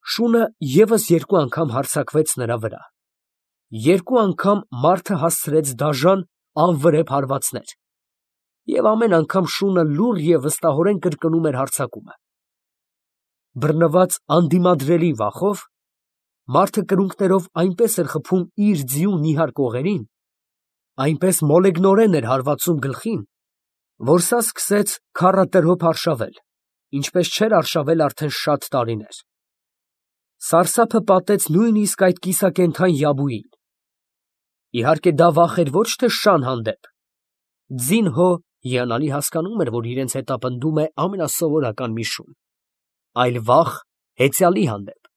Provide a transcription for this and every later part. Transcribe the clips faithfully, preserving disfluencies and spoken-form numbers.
Շունը ևս երկու անգամ հարձակվեց նրա վրա. երկու անգամ մարդը հասցրեց դաժան, անվրեպ հարվածներ, և ամեն անգամ շունը լուռ և վստահորեն կրկնում էր հարձակումը։ Բռնված անդիմադրելի վախով, մարդը կրունկներով այնպես էր խփում իր ձիու նիհար կողերին, այնպես մոլեգնորեն էր հարվածում գլխին, որ սա սկսեց քառատրոփ արշավել, ինչպես չէր արշավել արդեն շատ տարիներ։ Սարսափը պատեց նույնիսկ այդ կիսակենդան յաբուին։ Իհարկե դա վախ էր ոչ թե շան հանդեպ. ձին հո հիանալի հասկանում էր, որ իրենց հետապնդում է ամենասովորական մի շուն, այլ վախ հեծյալի հանդեպ։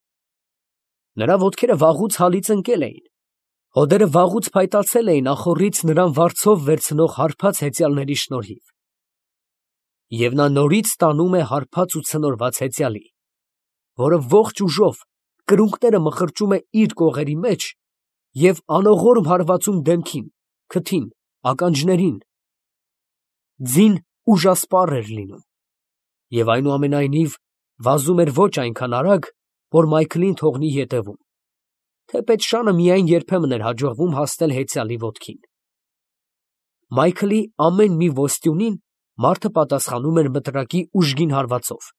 Նրա ոտքերը վաղուց հալից ընկել էին, հոդերը վաղուց փայտացել էին ախոռից նրան վարձով վերցնող հարբած հեծյալների շնորհիվ։ Եվ նա նորից տանում է հարբած ու ցնորված հեծյալի, որը ողջ ուժով կրունկները մխրճում է իր կողերի մեջ և անողորմ հարվածում դեմքին, քթին, ականջներին։ Ձին ուժասպառ էր լինում և այնուամենայնիվ վազում էր ոչ այնքան արագ, որ Մայքլին թողնի ետևում, թեպետ շանը միայն երբեմն էր հաջողվում հասնել հեծյալի ոտքին։ Մայքլի ամեն մի ոստյունին մարդը պատասխանում էր մտրակի ուժգին հարվածով,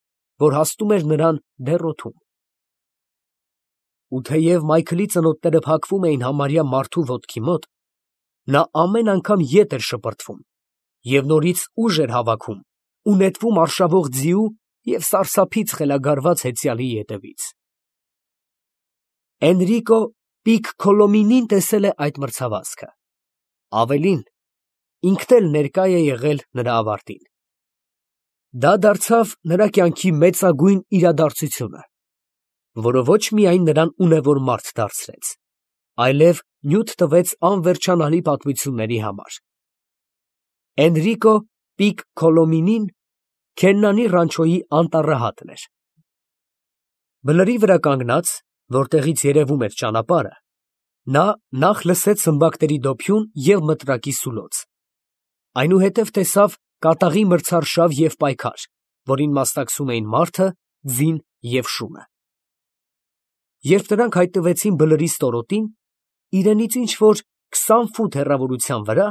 որ հասնում էր նրան դեռ օդում։ Ու թեև Մայքլի ծնոտները փակվում էին համարյա մարդու ոտքի մոտ, նա ամեն անգամ ետ էր շպրտվում և նորից ուժ էր հավաքում ու նետվում արշավող ձիու և սարսափից խելագարված հեծյալի ետևից։ Էնրիկո Պիկքոլոմինին տեսել է այդ մրցավազքը, ավելին, ինքն էլ ներկա է եղել նրա ավարտին։ Դա դարձավ նրա կյանքի մեծագույն իրադարձությունը, որը ոչ միայն նրան ունևոր մարդ դարձրեց, այլև նյութ տվեց անվերջանալի պատմությունների համար։ Էնրիկո Պիկքոլոմինին Քեննանի ռանչոյի անտառահատն էր։ Բլրի վրա կանգնած, որտեղից երևում էր ճանապարհը, նա նախ լսեց սմբակների դոփյուն և մտրակի սուլոց, այնուհետև տեսավ կատաղի մրցարշավ և պայքար, որին մասնակցում էին մարդը, ձին և շունը։ Երբ նրանք հայտնվեցին բլրի ստորոտին, իրենից ինչ֊որ քսան ֆուտ հեռավորության վրա,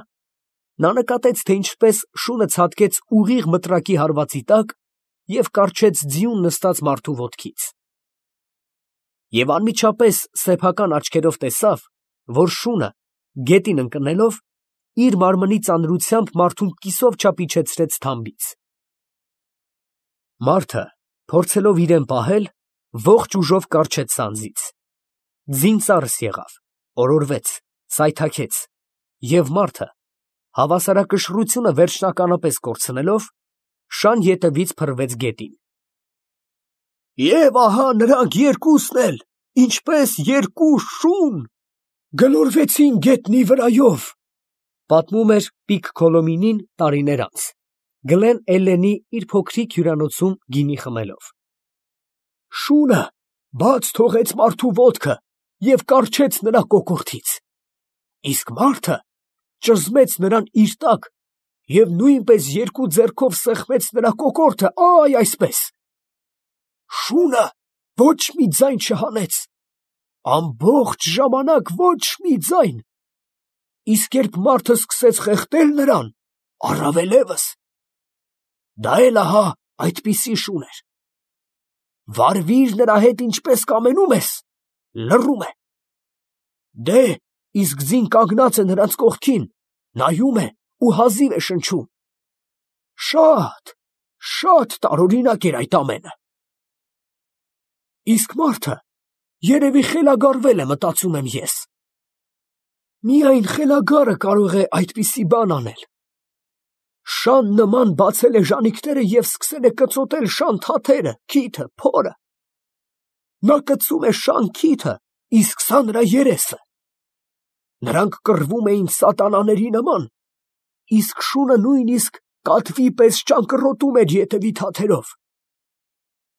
նա նկատեց, թե ինչպես շունը ցատկեց ուղիղ մտրակի հարվածի տակ և կառչեց ձիուն նստած մարդու ոտքից։ Եվ անմիջապես սեփական աչքերով տեսավ, որ շունը, գետին ընկնելով, իր մարմնի ծանրությամբ մարդուն կիսով չափ իջեցրեց թամբից։ Մարդը, փորձելով իրեն պահել, ողջ ուժով կառչեց սանձից։ Ձին ծարս եղավ, օրորվեց, սայթաքեց, և մարդը, հավասարակշռությունը վերջնականապես կորցնելով, շան ետևից փռվեց գետին։ Եվ ահա նրանք երկուսն էլ, ինչպես երկու շուն, գլորվեցին գետնի վրայով, պատմում էր Պիկքոլոմինին տարիներ անց, Գլեն Էլլենի իր փոքրիկ հյուրանոցում գինի խմելով։ Շունը բաց թողեց մարդու ոտքը և կառչեց նրա կոկորդից, իսկ մարդը ճզմեց նրան իր տակ և նույնպես երկու ձեռքով սեղմեց նրա կոկորդը, այ այսպես. շունը ոչ մի ձայն չհանեց, ամբողջ ժամանակ ոչ մի ձայն, իսկ երբ մարդը սկսեց խեղդել նրան, առավելևս. դա էլ ահա այդպիսի շուն էր. վարվիր նրա հետ ինչպես կամենում ես, լռում է, դե, իսկ ձին կանգնած է նրանց կողքին, նայում է ու հազիվ է շնչում, շատ, շատ տարօրինակ էր այդ ամենը։ Իսկ մարդը երևի խելագարվել է, մտածում եմ ես. միայն խելագարը կարող է այդպիսի բան անել։ Շան նման բացել է ժանիքները և սկսել է կծոտել շան թաթերը, քիթը, փորը։ Նա կծում է շան քիթը, իսկ սա նրա երեսը։ Նրանք կռվում էին սատանաների նման, իսկ շունը նույնիսկ կատվի պես ճանկռոտում էր ետևի թաթերով։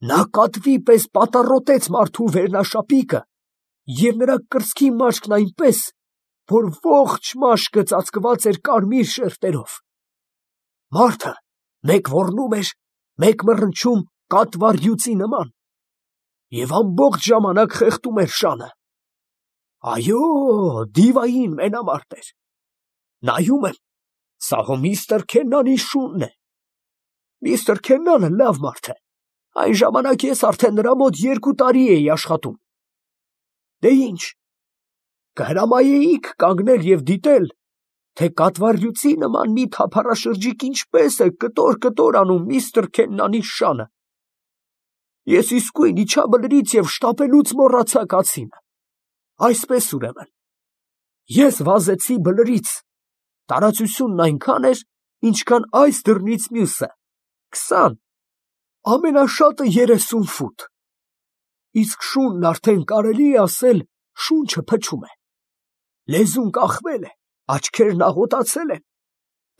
Նա կատվի պես պատառոտեց մարդու վերնաշապիկը և նրա կրծքի մաշկն այնպես, որ ողջ մաշկը ծածկված էր կարմիր շերտերով։ Մարդը մեկ ոռնում էր, մեկ մռնչում կատվառյուծի նման։ և ամբողջ ժամանակ խեղդում էր շանը։ Այո, դիվային մենամարտ էր։ Նայում եմ, սա հո միստր Քեննանի շունն է։ Միստր Քեննանը լավ մարդ է։ Այն ժամանակ ես արդեն նրա մոտ երկու տարի էի աշխատում։ Դե ինչ, կհրամայեիք կանգնել և դիտել, թե կատվառյուծի նման մի թափառաշրջիկ ինչպես է կտոր֊կտոր անում միստր Քեննանի շանը։ Ես իսկույն իջա բլրից և շտապելուց մոռացա կացինը։ Այսպես ուրեմն, ես վազեցի բլրից, տարածությունն այնքան էր, ինչքան այս դռնից մյուսը, քսան, ամենաշատը երեսուն ֆուտ։ Իսկ շունն արդեն կարելի է ասել շունչը փչում է։ Լեզուն կախվել է, աչքերն աղոտացել են,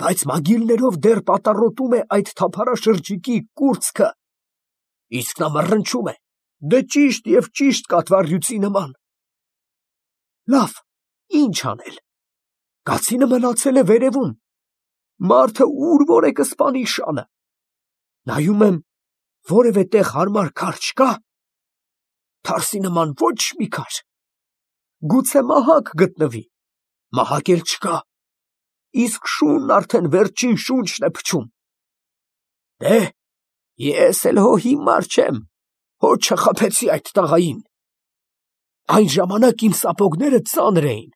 բայց մագիլներով դեռ պատառոտում է այդ թափառաշրջիկի կուրծքը, իսկ նա մռնչում է, դե ճիշտ և ճիշտ կատվառյուծի նման։ Լավ, ինչ անել։ Կացինը մնացել է վերևում, մարդը ուր որ է կսպանի շանը։ Նայում եմ, որևէ տեղ հարմար քար չկա, թարսի նման ոչ մի քար։ Գուցե մահակ գտնվի, մահակ էլ չկա, իսկ շունն արդեն վերջին շունչն է փչում։ Դե, ես էլ հո հիմար չեմ, հո չխաբեցի այդ տղային։ Այն ժամանակ իմ սապոգները ծանր էին,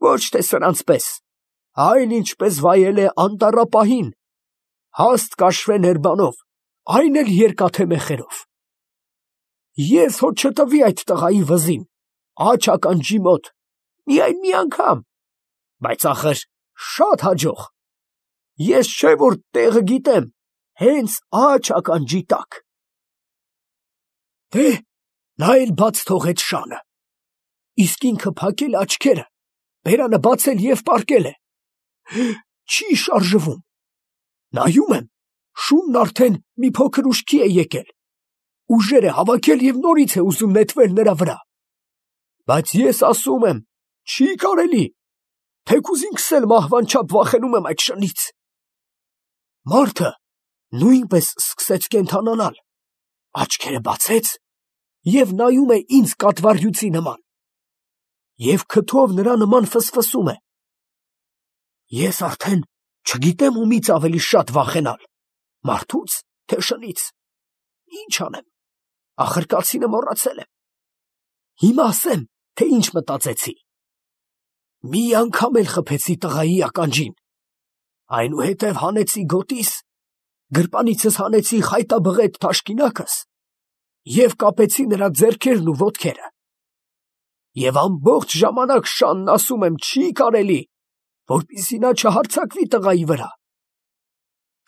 ոչ թե սրանց պես, այլ ինչպես վայել է անտառապահին, հաստ կաշվե ներբանով, այն էլ երկաթե մեխերով։ Ես հո չտվի այդ տղայի վզին, աջ ականջի մոտ, միայն մի անգամ, բայց ախր շատ հաջող։ Ես չէ որ տեղը գիտեմ, հենց աջ ականջի տակ։ Դե, նա էլ բաց թողեց շանը, իսկ ինքը փակել է աչքերը, բերանը բացել և պառկել է, չի շարժվում։ Նայում եմ, շունն արդեն մի փոքր ուշքի է եկել, ուժեր է հավաքել և նորից է ուզում նետվել նրա վրա։ Բայց ես ասում եմ, չի կարելի, թեկուզ ինքս էլ մահվան չափ վախենում եմ այդ շնից։ Մարդը նույնպես սկսեց կենդանանալ, աչքերը բացեց և նայում է ինձ կատվառյուծի նման, և քթով նրա նման ֆսֆսում է։ Ես արդեն չգիտեմ ումից ավելի շատ վախենալ, մարդո՞ւց, թե շնից։ Ինչ անեմ, ախր կացինը մոռացել եմ։ Հիմա ասեմ, թե ինչ մտածեցի։ Մի անգամ էլ խփեցի տղայի ականջին, այնուհետև հանեցի գոտիս, գրպանիցս հանեցի խայտաբղետ թաշկինակս և կապեցի նրա ձեռքերն ու ոտքերը։ Եվ ամբողջ ժամանակ շանն ասում եմ չի կարելի, որպեսզի նա չհարձակվի տղայի վրա։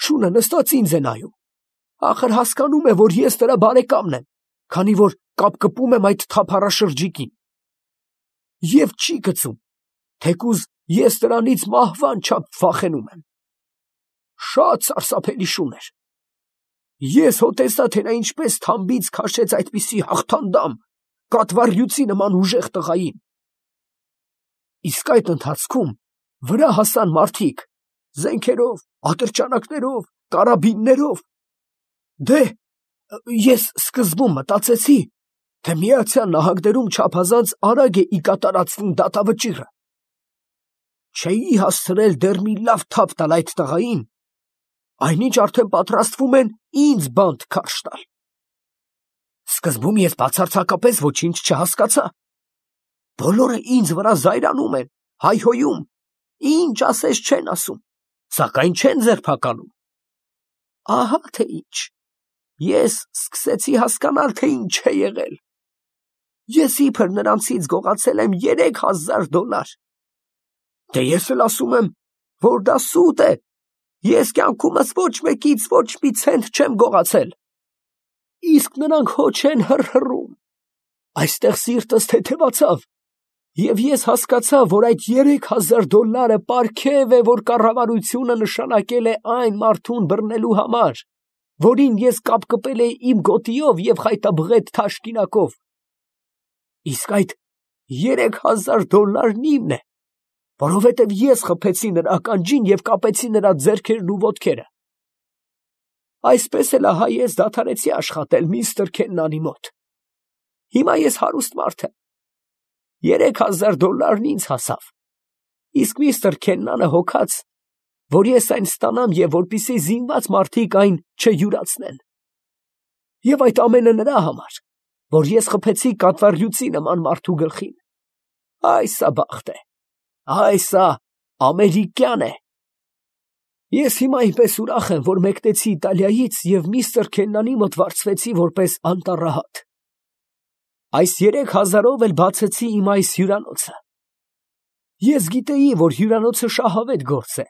Շունը նստած ինձ է նայում, ախր հասկանում է, որ ես նրա բարեկամն եմ, քանի որ կապկպում եմ այդ թափառաշրջիկին։ Եվ չի կծում, թեկուզ ես նրանից մահվան չափ վախենում եմ։ Շատ սարսափելի շուն էր։ Ես հո տեսա, թե նա ինչպես թամբից քաշեց այդպիսի հաղթանդամ, կատվառյուծի նման ուժեղ տղային։ Իսկ այդ ընթացքում վրա հասան մարդիկ, զենքերով, ատրճանակներով, կարաբիններով։ Դե, ես սկզբում մտածեցի, թե Միացյալ Նահանգներում չափազանց արագ է ի կատարածվում դատավճիռը։ Չէի հասցրել դեռ մի լավ թափ տալ այդ տղային, այնինչ արդեն պատրաստվում են ինձ բանտ քարշ տալ։ Սկզբում ես բացարձակապես ոչինչ չհասկացա։ Բոլորը ինձ վրա զայրանում են, հայհոյում, ինչ ասես չեն ասում, սակայն չեն ձերբակալում։ Ահա թե ինչ, ես սկսեցի հասկանալ, թե ինչ է եղել։ Ես իբր նրանցից գողացել եմ երեք հազար դոլար։ Դե ես էլ ասում եմ, որ դա սուտ է, ես կյանքումս ոչ մեկից ոչ մի ցենտ չեմ գողացել։ Իսկ նրանք հո չեն հռհռում։ Այստեղ սիրտս թեթևացավ, և ես հասկացա, որ այդ երեք հազար դոլարը պարգև է, որ կառավարությունը նշանակել է այն մարդուն բռնելու համար, որին ես կապկպել էի իմ գոտիով և խայտաբղետ թաշկինակով։ Իսկ այդ երեք հազար դոլարն իմն է, որովհետև ես խփեցի նրա ականջին և կապեցի նրա ձեռքերն ու ոտքերը։ Այսպես էլ ահա ես դադարեցի աշխատել միստր Քեննանի մոտ։ Հիմա ես հարուստ մարդ եմ։ Երեք հազար դոլարն ինձ հասավ, իսկ միստր Քեննանը հոգաց, որ ես այն ստանամ և որպեսզի զինված մարդիկ այն չյուրացնեն։ Եվ այդ ամենը նրա համար, որ ես խփեցի կատվառյուծի նման մարդու գլխին։ Այ սա բախտ է, այ սա ամերիկյան է։ Ես հիմա այնպես ուրախ եմ, որ մեկնեցի Իտալիայից և միստր Քեննանի մոտ վարձվեցի որպես անտառահատ։ Այս երեք հազարով էլ բացեցի իմ այս հյուրանոցը։ Ես գիտեի, որ հյուրանոցը շահավետ գործ է։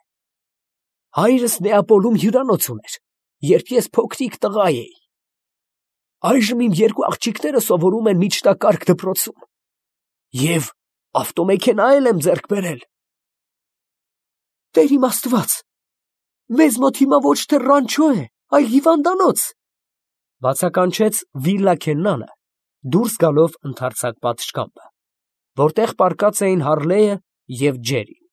Հայրս Նեապոլում հյուրանոց ուներ, երբ ես փոքրիկ տղա էի։ Այժմ իմ երկու աղջիկները սովորում են միջնակարգ դպրոցում և ավտոմեքենա էլ եմ ձեռք բերել։ Տեր իմ Աստված, մեզ մոտ հիմա ոչ թե ռանչո է, այլ հիվանդանոց, բացականչեց Վիլլա Քեննանը, դուրս գալով ընդարձակ պատշգամբը, որտեղ պառկած էին Հարլեյը և Ջերին։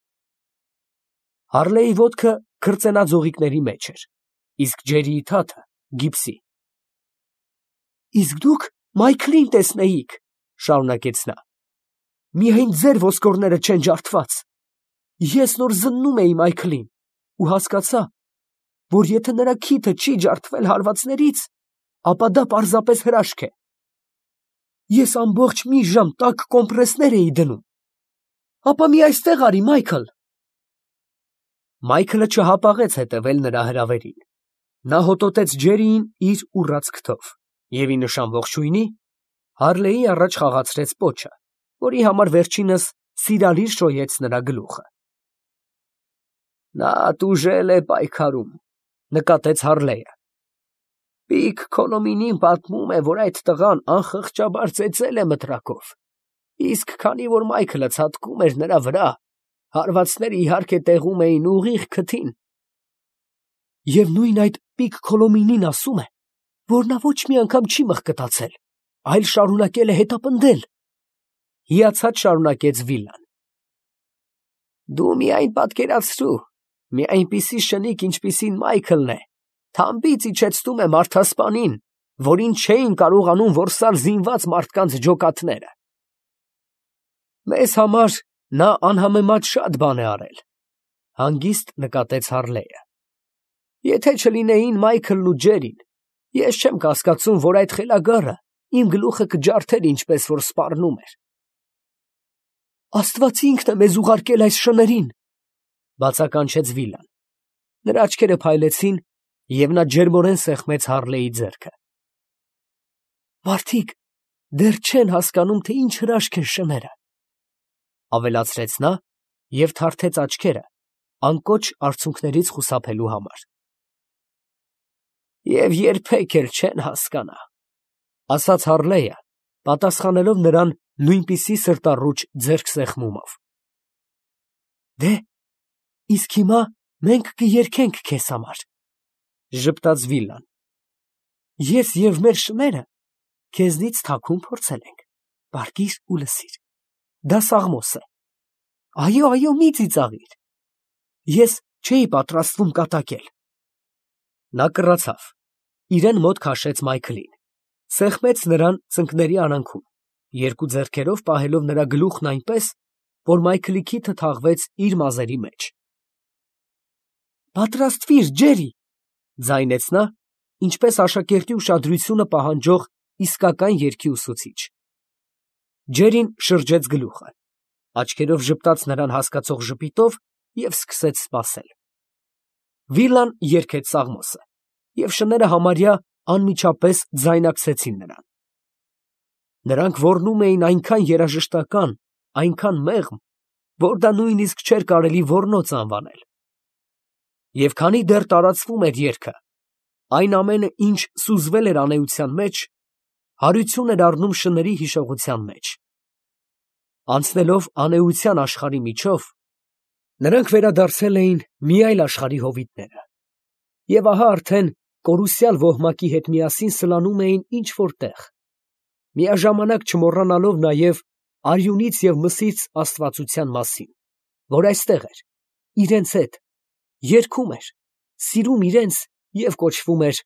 Հարլեյի ոտքը քրծենաձողիկների մեջ էր, իսկ Ջերիի թաթը գիպսի։ Իսկ դուք Մայքլին տեսնեիք, շարունակեց նա, միայն ձեր ոսկորները չեն ջարդված։ Ես նոր զննում էի Մայքլին ու հասկացա, որ եթե նրա քիթը չի ջարդվել հարվածներից, ապա դա պարզապես հրաշք է։ Ես ամբողջ մի ժամ տաք կոմպրեսներ էի դնում։ Ապա մի այստեղ արի, Մայքլ։ Մայքլը չհապաղեց հետևել նրա հրավերին։ Նա հոտոտեց Ջերիին իր ուռած քթով և ի նշան ողջույնի Հարլեյի առաջ խաղացրեց պոչը, որի համար վերջինս սիրալիր շոյեց նրա գլուխը։ Նա տուժել է պայքարում, նկատեց Հարլեյը։ Պիկ Քոլոմինին պատմում է, որ այդ տղան անխղճաբար ծեծել է մտրակով, իսկ քանի որ Մայքլը ցատկում էր նրա վրա, հարվածները իհարկե տեղում էին ուղիղ քթին։ Եվ նույն այդ Պիկ Քոլոմինին ասում է, որ նա ոչ մի անգամ չի մղկտացել, այլ շարունակել է հետապնդել, հիացած շարունակեց Վիլլան։ Դու միայն պատկերացրու, մի այնպիսի շնիկ, ինչպիսին Մայքլն է, թամբից իջեցնում է մարդասպանին, որին չէին կարողանում որսալ զինված մարդկանց ջոկատները։ Մեզ համար նա անհամեմատ շատ բան է արել, հանգիստ նկատեց Հարլեյը։ Եթե չլինեին Մայքլն ու Ջերին, ես չեմ կասկածում, որ այդ խելագարը իմ գլուխը կջարդեր, ինչպես որ սպառնում էր։ Աստված ինքն է մեզ ուղարկել այս շներին, բացականչեց Վիլլան։ Նրա աչքերը փայլեցին, և նա ջերմորեն սեղմեց Հարլեյի ձեռքը։ Մարդիկ դեռ չեն հասկանում, թե ինչ հրաշք են շները, ավելացրեց նա և թարթեց աչքերը, անկոչ արցունքներից խուսափելու համար։ Եվ երբեք էլ չեն հասկանա, ասաց Հարլեյը, պատասխանելով նրան նույնպիսի սրտառուչ ձեռքսեղմումով։ Դե, իսկ հիմա մենք կերկենք քեզ համար, ժպտաց Վիլլան։ Ես և մեր շները քեզնից թաքուն փորձել ենք, պառկիր ու լսիր, դա Սաղմոս է։ Այո, այո, մի ծիծաղիր, ես չէի պատրաստվում կատակել։ Նա կռացավ, իրեն մոտ քաշեց Մայքլին, սեղմեց նրան ծնկների արանքում, երկու ձեռքերով պահելով նրա գլուխն այնպես, որ Մայքլի քիթը թաղվեց իր մազերի մեջ։ Պատրաստվիր, Ջերի, ձայնեց նա, ինչպես աշակերտի ուշադրությունը պահանջող իսկական երգի ուսուցիչ։ Ջերին շրջեց գլուխը, աչքերով ժպտաց նրան հասկացող ժպիտով և սկսեց սպասել։ Վիլլան երգեց Սաղմոսը, և շները համարյա անմիջապես ձայնակցեցին նրան։ Նրանք ոռնում էին այնքան երաժշտական, այնքան մեղմ, որ դա նույնիսկ չէր կարելի ոռնոց անվանել։ Եվ քանի դեռ տարածվում էր երգը, այն ամենը, ինչ սուզվել էր անեության մեջ, հարություն էր առնում շների հիշողության մեջ։ Անցնելով անեության աշխարհի միջով, նրանք վերադարձել էին մի այլ աշխարհի հովիտները, և ահա արդեն կորուսյալ ոհմակի հետ միասին սլանում էին ինչ֊որ տեղ, միաժամանակ չմոռանալով նաև արյունից և մսից աստվածության մասին, որ այստեղ էր, իրենց հետ, երգում էր, սիրում իրենց և կոչվում էր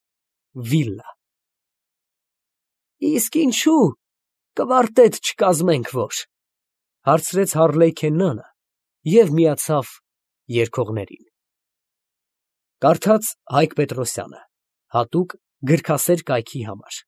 Վիլլա։ Իսկ ինչու, Կվարտետ չկազմենք ո՞ր, ֊ հարցրեց Հառլեյքեննանը և միացավ երգողներին։ Կարդաց Հայկ Պետրոսյանը, հատուկ գրքասեր կայքի համար։